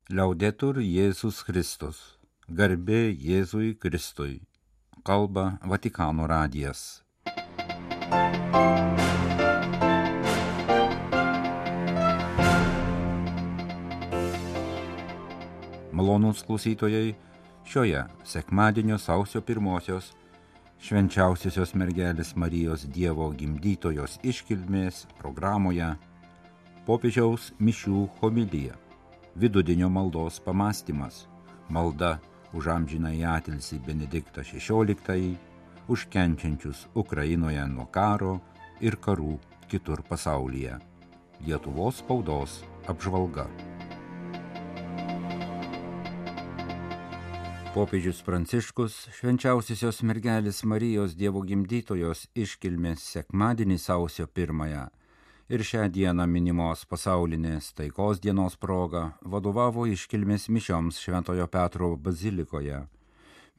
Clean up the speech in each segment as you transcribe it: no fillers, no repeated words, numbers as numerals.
Liaudetur Jėzus Kristus. Garbė Jėzui Kristui. Kalba Vatikano radijas. Malonūs klausytojai, šioje sekmadienio sausio 1 švenčiausiosios mergelės Marijos Dievo gimdytojos iškilmės programoje popiežiaus mišių homilija. Vidudienio maldos pamąstymas, malda už amžinąjį atilsį Benediktą XVI, už kenčiančius Ukrainoje nuo karo ir karų kitur pasaulyje. Lietuvos spaudos apžvalga. Popiežius Pranciškus švenčiausiosios mergelės Marijos Dievo gimdytojos iškilmės sekmadienį sausio 1 ir šią dieną minimos pasaulinės taikos dienos proga vadovavo iškilmės mišioms Šventojo Petro bazilikoje.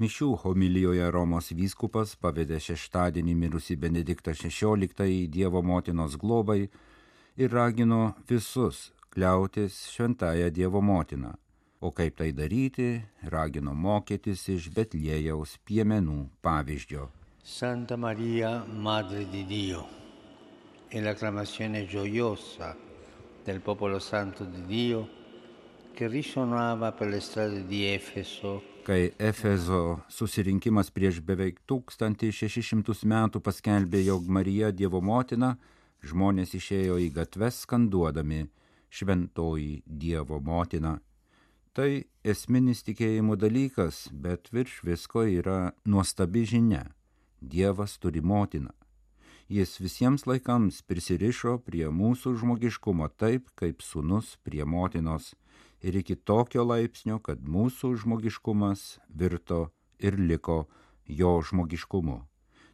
Mišių homilijoje Romos vyskupas pavedė šeštadienį mirusį Benediktą XVI Dievo motinos globai ir ragino visus kliautis šventąją Dievo motiną. O kaip tai daryti, ragino mokytis iš Betliejaus piemenų pavyzdžio. Santa Maria, Madre di Dio, e l'acclamazione gioiosa del popolo santo di Dio che risuonava per le strade di Efeso. Kai Efezo susirinkimas prieš beveik 1600 metų paskelbė, jog Marija Dievo motina, žmonės išėjo į gatves skanduodami šventoji Dievo motina. Tai esminis tikėjimo dalykas, bet virš visko yra nuostabi žinia. Dievas turi motiną. Jis visiems laikams prisirišo prie mūsų žmogiškumo taip, kaip sūnus prie motinos, ir iki tokio laipsnio, kad mūsų žmogiškumas virto ir liko jo žmogiškumu.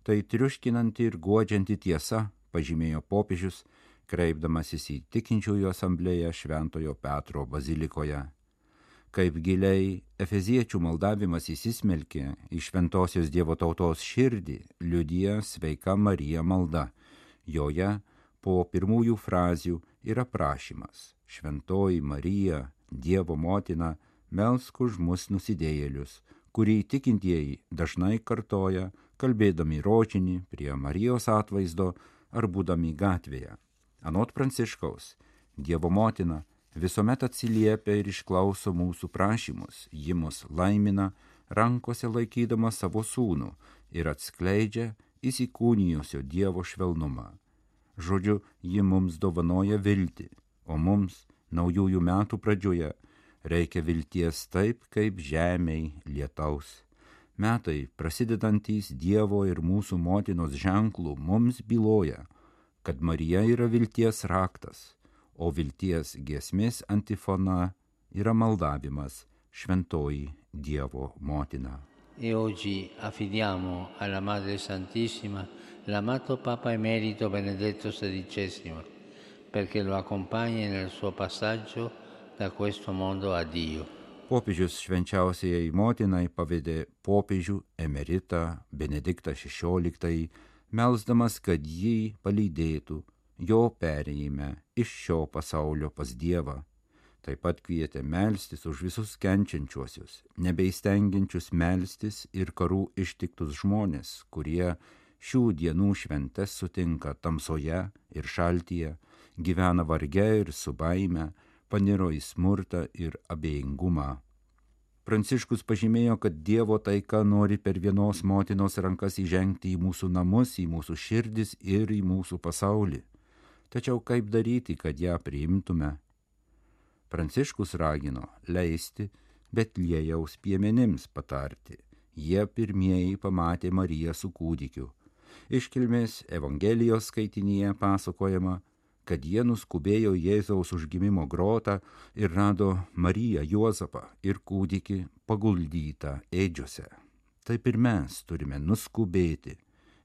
Tai triuškinanti ir guodžianti tiesa, pažymėjo popiežius, kreipdamasis į tikinčiųjų asamblėją Šventojo Petro bazilikoje. Kaip giliai efeziečių maldavimas įsismelkė į šventosios Dievo tautos širdį, liudija sveika Marija malda. Joje po pirmųjų frazių yra prašymas: Šventoji Marija, Dievo motina, melsk už mus nusidėjėlius, kurį tikintieji dažnai kartoja, kalbėdami rožinį prie Marijos atvaizdo ar būdami gatvėje. Anot Pranciškaus, Dievo motina visuomet atsiliepia ir išklauso mūsų prašymus, ji mus laimina, rankose laikydama savo sūnų ir atskleidžia įsikūnijusio Dievo švelnumą. Žodžiu, ji mums dovanoja viltį, o mums naujųjų metų pradžioje reikia vilties taip, kaip žemei lietaus. Metai, prasidedantys Dievo ir mūsų motinos ženklų, mums byloja, kad Marija yra vilties raktas, o vilties giesmės antifona yra maldavimas: Šventoji Dievo motina. E oggi affidiamo alla Madre Santissima l'amato Papa Emerito Benedetto XVI, perché lo accompagni nel suo passaggio da questo mondo a Dio. Popiežius švenčiausiai motinai pavedė popiežių emeritą Benediktą XVI, melsdamas, kad jį palydėtų jo perėjime iš šio pasaulio pas Dievą. Taip pat kvietė melstis už visus kenčiančiuosius, nebeistengiančius melstis ir karų ištiktus žmonės, kurie šių dienų šventes sutinka tamsoje ir šaltyje, gyvena varge ir su baime, paniro į smurtą ir abejingumą. Pranciškus pažymėjo, kad Dievo taika nori per vienos motinos rankas įžengti į mūsų namus, į mūsų širdis ir į mūsų pasaulį. Tačiau kaip daryti, kad ją priimtume? Pranciškus ragino leisti Betliejaus piemenims patarti. Jie pirmieji pamatė Mariją su kūdikiu. Iškilmės Evangelijos skaitinyje pasakojama, kad jie nuskubėjo Jėzaus užgimimo grotą ir rado Mariją, Juozapą ir kūdikį paguldytą ėdžiose. Taip ir mes turime nuskubėti,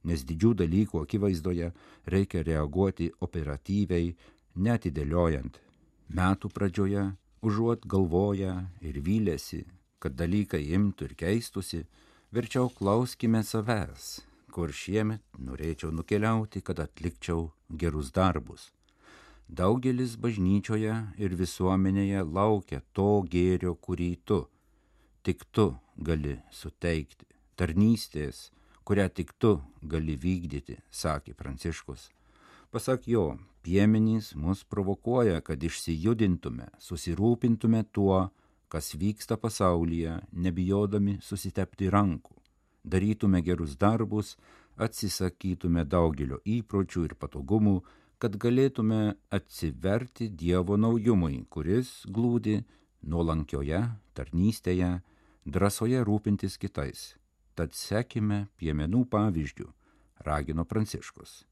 nes didžių dalykų akivaizdoje reikia reaguoti operatyviai, neatidėliojant. Metų pradžioje, užuot galvoję ir vylėsi, kad dalykai imtų ir keistusi, verčiau klauskime savęs, kur šiemet norėčiau nukeliauti, kad atlikčiau gerus darbus. Daugelis bažnyčioje ir visuomenėje laukia to gėrio, kurį tik tu gali suteikti, tarnystės, kurią tik tu gali vykdyti, sakė Pranciškus. Pasak jo, piemenys mus provokuoja, kad išsijudintume, susirūpintume tuo, kas vyksta pasaulyje, nebijodami susitepti rankų, darytume gerus darbus, atsisakytume daugelio įpročių ir patogumų, kad galėtume atsiverti Dievo naujumui, kuris glūdi nuolankioje tarnystėje, drąsoje rūpintis kitais. Tad sekime piemenų pavyzdžių, ragino Pranciškus.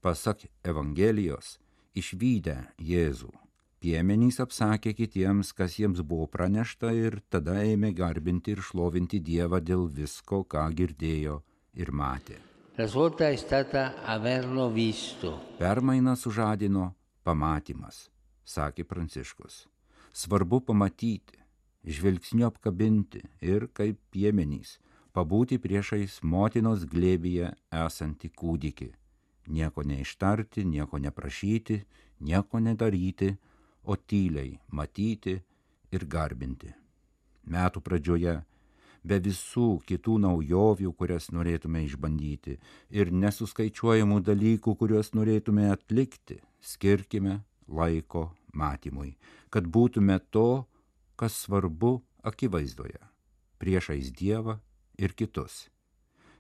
Pasak Evangelijos, išvydę Jėzų, piemenys apsakė kitiems, kas jiems buvo pranešta, ir tada ėmė garbinti ir šlovinti Dievą dėl visko, ką girdėjo ir matė. La svolta è stata averlo visto. Permainą sužadino pamatymas, sakė Pranciškus. Svarbu pamatyti, žvilgsniu apkabinti ir, kaip piemenys, pabūti priešais motinos glėbyje esantį kūdikį. Nieko neištarti, nieko neprašyti, nieko nedaryti, o tyliai matyti ir garbinti. Metų pradžioje, be visų kitų naujovių, kurias norėtume išbandyti, ir nesuskaičiuojamų dalykų, kuriuos norėtume atlikti, skirkime laiko matymui, kad būtume to, kas svarbu akivaizdoje, priešais Dievą ir kitus.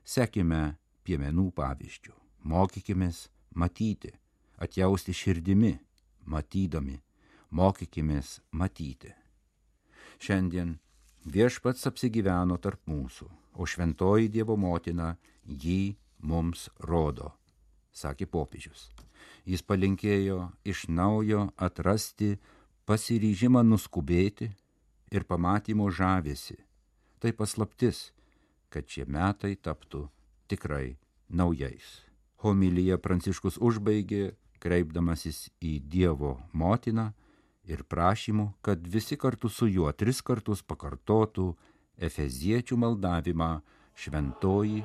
Sekime piemenų pavyzdžių, mokykimės matyti, atjausti širdimi, matydami, mokykimės matyti. Šiandien Viešpats apsigyveno tarp mūsų, o šventoji Dievo motina jį mums rodo, sakė popiežius. Jis palinkėjo iš naujo atrasti pasiryžimą nuskubėti ir pamatymo žavesį. Tai paslaptis, kad šie metai taptų tikrai naujais. Homiliją Pranciškus užbaigė, kreipdamasis į Dievo motiną ir prašymu, kad visi kartu su juo 3 kartus pakartotų efeziečių maldavimą Šventoji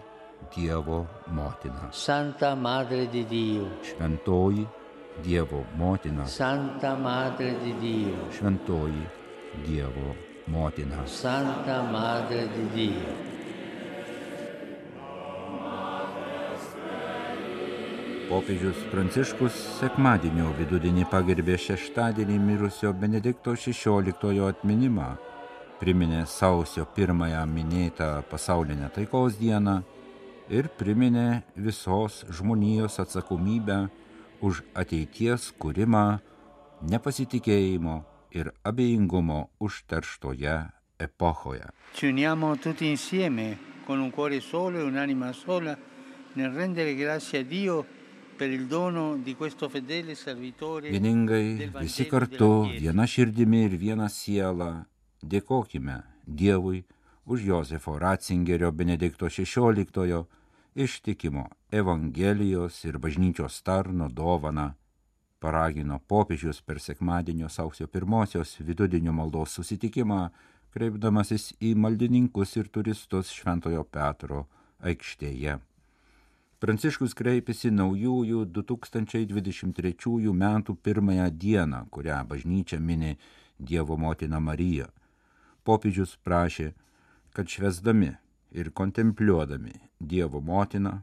Dievo motina. Santa Madre di Dio. Šventoji Dievo motina. Santa Madre di Dio. Šventoji Dievo motina. Santa Madre di Dio. Popiežius Pranciškus sekmadienio vidudienį pagerbė šeštadienį mirusio Benedikto XVI atminimą, priminė sausio 1 minėtą pasaulinę taikos dieną ir priminė visos žmonijos atsakomybę už ateities kūrimą nepasitikėjimo ir abejingumo užterštoje epochoje. Ci uniamo tutti insieme con un cuore solo e un'anima sola nel rendere grazie a Dio. Vieningai visi kartu, viena širdimi ir viena siela, dėkokime Dievui už Jozefo Ratzingerio Benedikto XVI ištikimo Evangelijos ir bažnyčios tarno dovaną, paragino popiežius per sekmadienio sausio 1 vidudienio maldos susitikimą, kreipdamasis į maldininkus ir turistus Šventojo Petro aikštėje. Pranciškus kreipėsi naujųjų 2023 metų 1 dieną, kurią bažnyčia mini Dievo motiną Mariją. Popiežius prašė, kad švęsdami ir kontempliuodami Dievo motiną,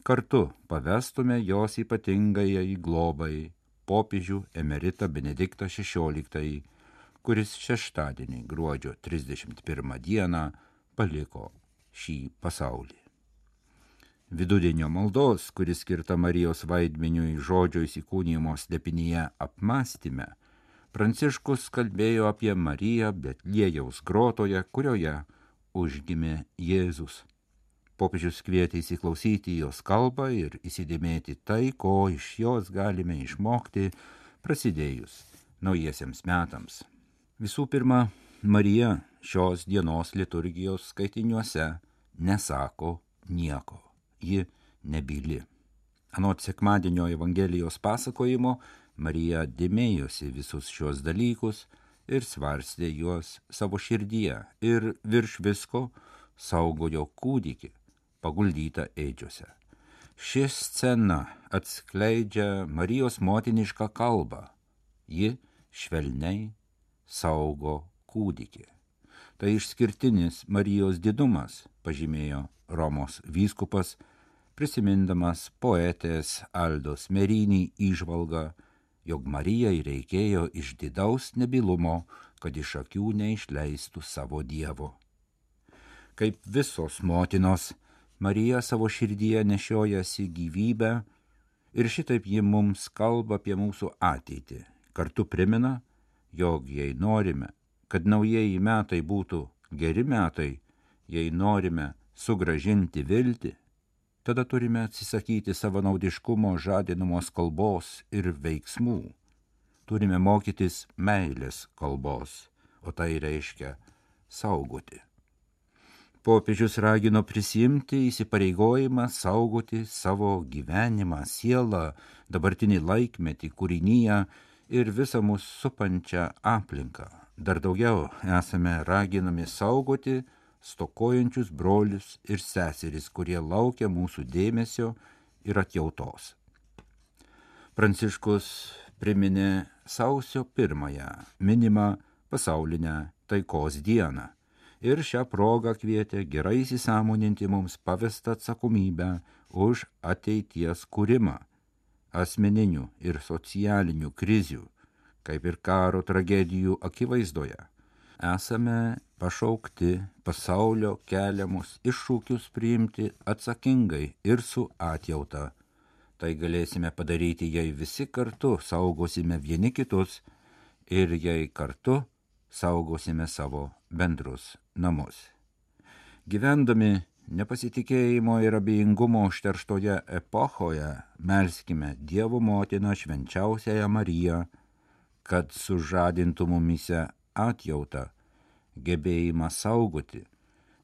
kartu pavestume jos ypatingajai globai popiežių emeritą Benediktą XVI, kuris šeštadienį gruodžio 31 dieną paliko šį pasaulį. Vidudienio maldos, kuris skirta Marijos vaidmeniui žodžio įsikūnijimo slėpinyje apmąstyme, Pranciškus kalbėjo apie Mariją Betliejaus grotoje, kurioje užgimė Jėzus. Popiežius kvietė įsiklausyti jos kalbą ir įsidėmėti tai, ko iš jos galime išmokti prasidėjus naujiesiems metams. Visų pirma, Marija šios dienos liturgijos skaitiniuose nesako nieko. Ji nebyli. Anot sekmadienio Evangelijos pasakojimo, Marija dėmėjosi visus šios dalykus ir svarstė juos savo širdyje ir virš visko saugojo kūdikį, paguldytą ėdžiose. Ši scena atskleidžia Marijos motinišką kalbą. Ji švelniai saugo kūdikį. Tai išskirtinis Marijos didumas, pažymėjo Romos vyskupas, prisimindamas poetės Aldos Merinį įžvalgą, jog Marijai reikėjo išdidaus nebylumo, kad iš akių neišleistų savo Dievo. Kaip visos motinos, Marija savo širdyje nešiojasi gyvybę ir šitaip ji mums kalba apie mūsų ateitį. Kartu primena, jog jei norime, kad naujieji metai būtų geri metai, jei norime sugrąžinti viltį, tada turime atsisakyti savanaudiškumo žadinamos kalbos ir veiksmų. Turime mokytis meilės kalbos, o tai reiškia saugoti. Popiežius ragino prisiimti įsipareigojimą saugoti savo gyvenimą, sielą, dabartinį laikmetį, kūrinyje ir visą mus supančią aplinką. Dar daugiau esame raginami saugoti stokojančius brolius ir seseris, kurie laukia mūsų dėmesio ir atjautos. Pranciškus priminė sausio 1 minimą pasaulinę taikos dieną ir šią progą kvietė gerai įsisąmoninti mums pavestą atsakomybę už ateities kūrimą, asmeninių ir socialinių krizių, kaip ir karo tragedijų akivaizdoje. Esame pašaukti pasaulio keliamus iššūkius priimti atsakingai ir su atjauta. Tai galėsime padaryti, jei visi kartu saugosime vieni kitus ir jei kartu saugosime savo bendrus namus. Gyvendami nepasitikėjimo ir abejingumo užterštoje epochoje melskime Dievo motiną švenčiausiąją Mariją, kad sužadintų mumyse atjautą, gebėjimą saugoti,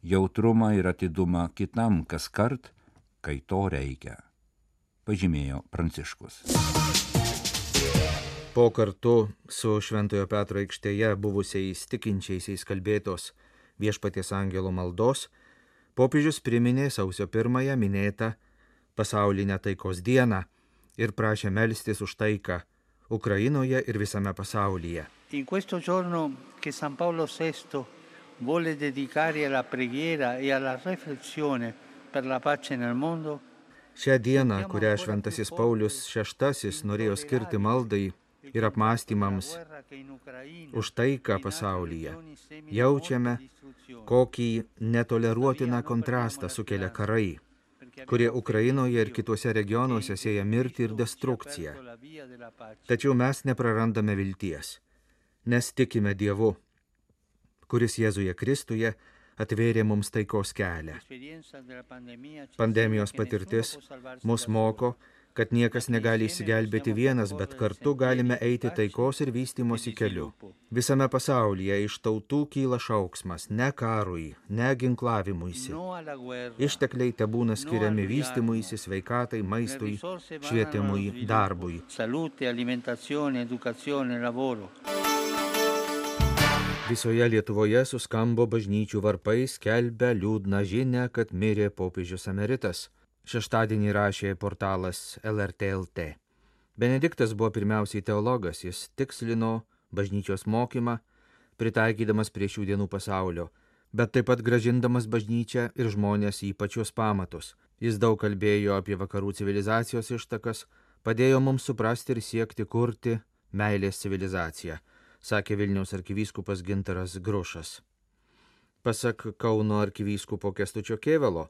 jautrumą ir atidumą kitam kaskart, kai to reikia, pažymėjo Pranciškus. Po kartu su Šventojo Petro aikštėje buvusiais tikinčiaisiais kalbėtos Viešpaties angelo maldos, popiežius priminė sausio 1 minėtą pasaulinę taikos dieną ir prašė melstis už taiką Ukrainoje ir visame pasaulyje. In questo giorno che San Paolo VI vuole dedicare alla preghiera e alla riflessione per la pace nel mondo, Šią dieną, kurią Šventasis Paulius VI norėjo skirti maldai ir apmąstymams už taiką pasaulyje, jaučiame, kokį netoleruotiną kontrastą sukelia karai, kurie Ukrainoje ir kituose regionuose sieja mirtį ir destrukciją. Tačiau mes neprarandame vilties, nes tikime Dievu, kuris Jėzuje Kristuje atvėrė mums taikos kelią. Pandemijos patirtis mus moko, kad niekas negali išsigelbėti vienas, bet kartu galime eiti taikos ir vystymosi keliu. Visame pasaulyje iš tautų kyla šauksmas ne karui, ne ginklavimuisi. Ištekliai tebūna skiriami vystymuisi, sveikatai, maistui, švietimui, darbui. Visoje Lietuvoje suskambo bažnyčių varpai, skelbia liūdną žinią, kad mirė popiežius emeritas. Šeštadienį rašė portalas LRT LT. Benediktas buvo pirmiausiai teologas, jis tikslino bažnyčios mokymą, pritaikydamas prie šių dienų pasaulio, bet taip pat grąžindamas bažnyčią ir žmonės į pačius pamatus. Jis daug kalbėjo apie vakarų civilizacijos ištakas, padėjo mums suprasti ir siekti kurti meilės civilizaciją, sakė Vilniaus arkivyskupas Gintaras Grušas. Pasak Kauno arkivyskupo Kęstučio Kėvalo,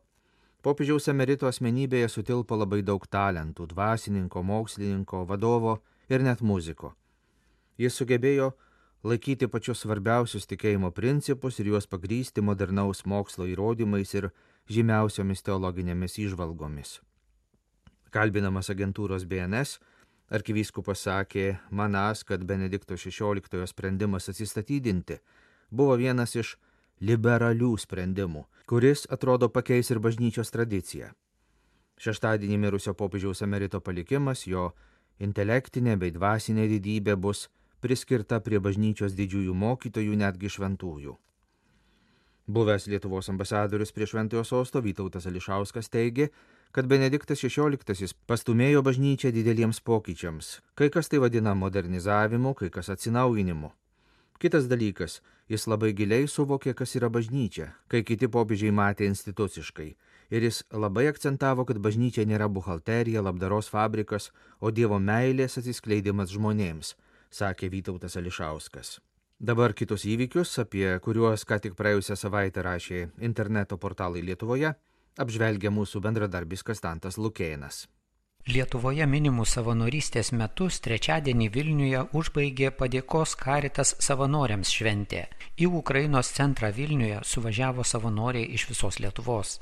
popiežiaus emerito asmenybėje sutilpo labai daug talentų – dvasininko, mokslininko, vadovo ir net muziko. Jis sugebėjo laikyti pačius svarbiausius tikėjimo principus ir juos pagrįsti modernaus mokslo įrodymais ir žymiausiomis teologinėmis įžvalgomis. Kalbinamas agentūros BNS, arkivyskupas sakė, manąs, kad Benedikto XVI sprendimas atsistatydinti buvo vienas iš liberalių sprendimų, kuris, atrodo, pakeis ir bažnyčios tradiciją. Šeštadienį mirusio popiežiaus emerito palikimas, jo intelektinė bei dvasinė didybė bus priskirta prie bažnyčios didžiųjų mokytojų, netgi šventųjų. Buvęs Lietuvos ambasadorius prie Šventojo sosto Vytautas Ališauskas teigė, kad Benediktas XVI pastumėjo bažnyčią dideliems pokyčiams. Kai kas tai vadina modernizavimu, kai kas atsinaujinimu. Kitas dalykas, jis labai giliai suvokė, kas yra bažnyčia, kai kiti popiežiai matė instituciškai. Ir jis labai akcentavo, kad bažnyčia nėra buhalterija, labdaros fabrikas, o Dievo meilės atsiskleidimas žmonėms, sakė Vytautas Ališauskas. Dabar kitus įvykius, apie kuriuos ką tik praėjusią savaitę rašė interneto portalai Lietuvoje, apžvelgia mūsų bendradarbis Kastantas Lukėnas. Lietuvoje minimus savanorystės metus trečiadienį Vilniuje užbaigė padėkos Caritas savanoriams šventė. Į Ukrainos centrą Vilniuje suvažiavo savanoriai iš visos Lietuvos.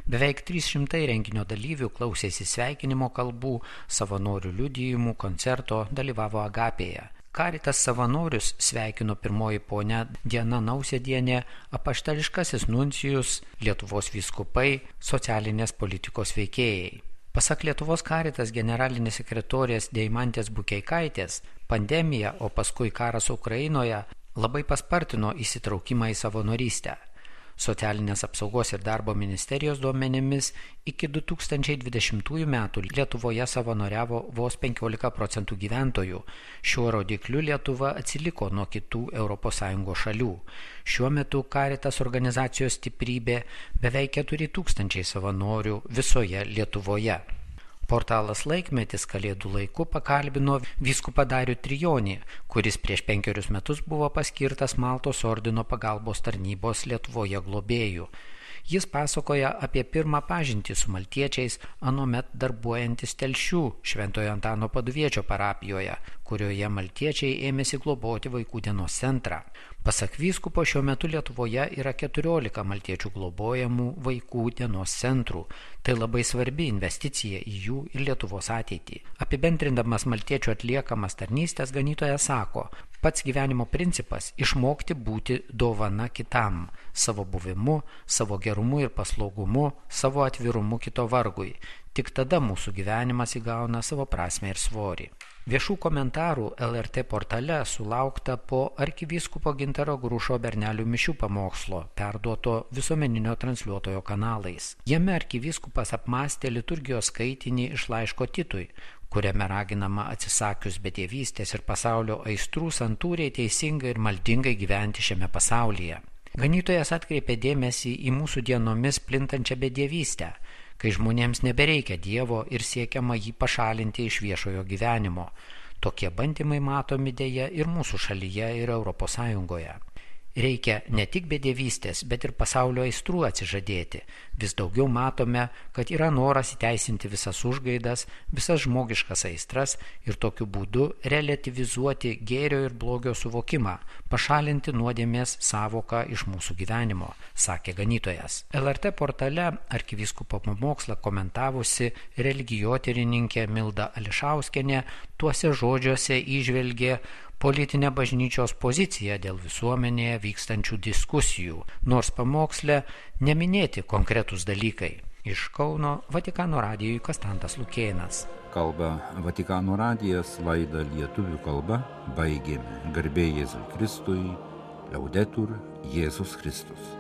Beveik 300 renginio dalyvių klausėsi sveikinimo kalbų, savanorių liudijimų, koncerto, dalyvavo Agapėje. Caritas savanorius sveikino pirmoji ponia Diana Nausėdienė, apaštališkasis nuncijus, Lietuvos vyskupai, socialinės politikos veikėjai. Pasak Lietuvos Caritas generalinės sekretorės Deimantės Bukeikaitės, pandemija, o paskui karas Ukrainoje labai paspartino įsitraukimą į savanorystę. Socialinės apsaugos ir darbo ministerijos duomenimis iki 2020 metų Lietuvoje savanoriavo vos 15% gyventojų. Šiuo rodikliu Lietuva atsiliko nuo kitų ES šalių. Šiuo metu Caritas organizacijos stiprybė beveik 4000 savanorių visoje Lietuvoje. Portalas Laikmetis kalėdų laiku pakalbino vyskupą Darių Trijonį, kuris prieš 5 metus buvo paskirtas Maltos ordino pagalbos tarnybos Lietuvoje globėjų. Jis pasakoja apie pirmą pažintį su maltiečiais, anuomet darbuojantis Telšių Šventojo Antano Paduviečio parapijoje, kurioje maltiečiai ėmėsi globoti vaikų dienos centrą. Pasak vyskupo, šiuo metu Lietuvoje yra 14 maltiečių globojamų vaikų dienos centrų. Tai labai svarbi investicija į jų ir Lietuvos ateitį. Apibendrindamas maltiečių atliekamas tarnystės, ganytojas sako, pats gyvenimo principas – išmokti būti dovana kitam, savo buvimu, savo gerumu ir paslaugumu, savo atvirumu kito vargui. Tik tada mūsų gyvenimas įgauna savo prasmę ir svorį. Viešų komentarų LRT portale sulaukta po arkivyskupo Gintaro Grušo Bernelių mišių pamokslo, perduoto visuomeninio transliuotojo kanalais. Jame arkivyskupas apmąstė liturgijos skaitinį iš laiško Titui, kuriame raginama atsisakius bedievystės ir pasaulio aistrų santūriai teisingai ir maldingai gyventi šiame pasaulyje. Ganytojas atkreipė dėmesį į mūsų dienomis plintančią bedievystę, kai žmonėms nebereikia Dievo ir siekiama jį pašalinti iš viešojo gyvenimo. Tokie bandymai matomi deja ir mūsų šalyje ir ES. Reikia ne tik bedievystės, bet ir pasaulio aistrų atsižadėti. Vis daugiau matome, kad yra noras įteisinti visas užgaidas, visas žmogiškas aistras ir tokiu būdu relativizuoti gėrio ir blogio suvokimą, pašalinti nuodėmės sąvoką iš mūsų gyvenimo, sakė ganytojas. LRT portale arkivyskupo pamokslą komentavusi religijotyrininkė Milda Ališauskienė tuose žodžiuose įžvelgė politinę bažnyčios poziciją dėl visuomenėje vykstančių diskusijų, nors pamoksle neminėti konkretūs dalykai. Iš Kauno Vatikano radijui Kastantas Lukėnas. Kalba Vatikano radijas, laidą lietuvių kalba baigėme. Garbė Jėzui Kristui, Laudetur Jėzus Kristus.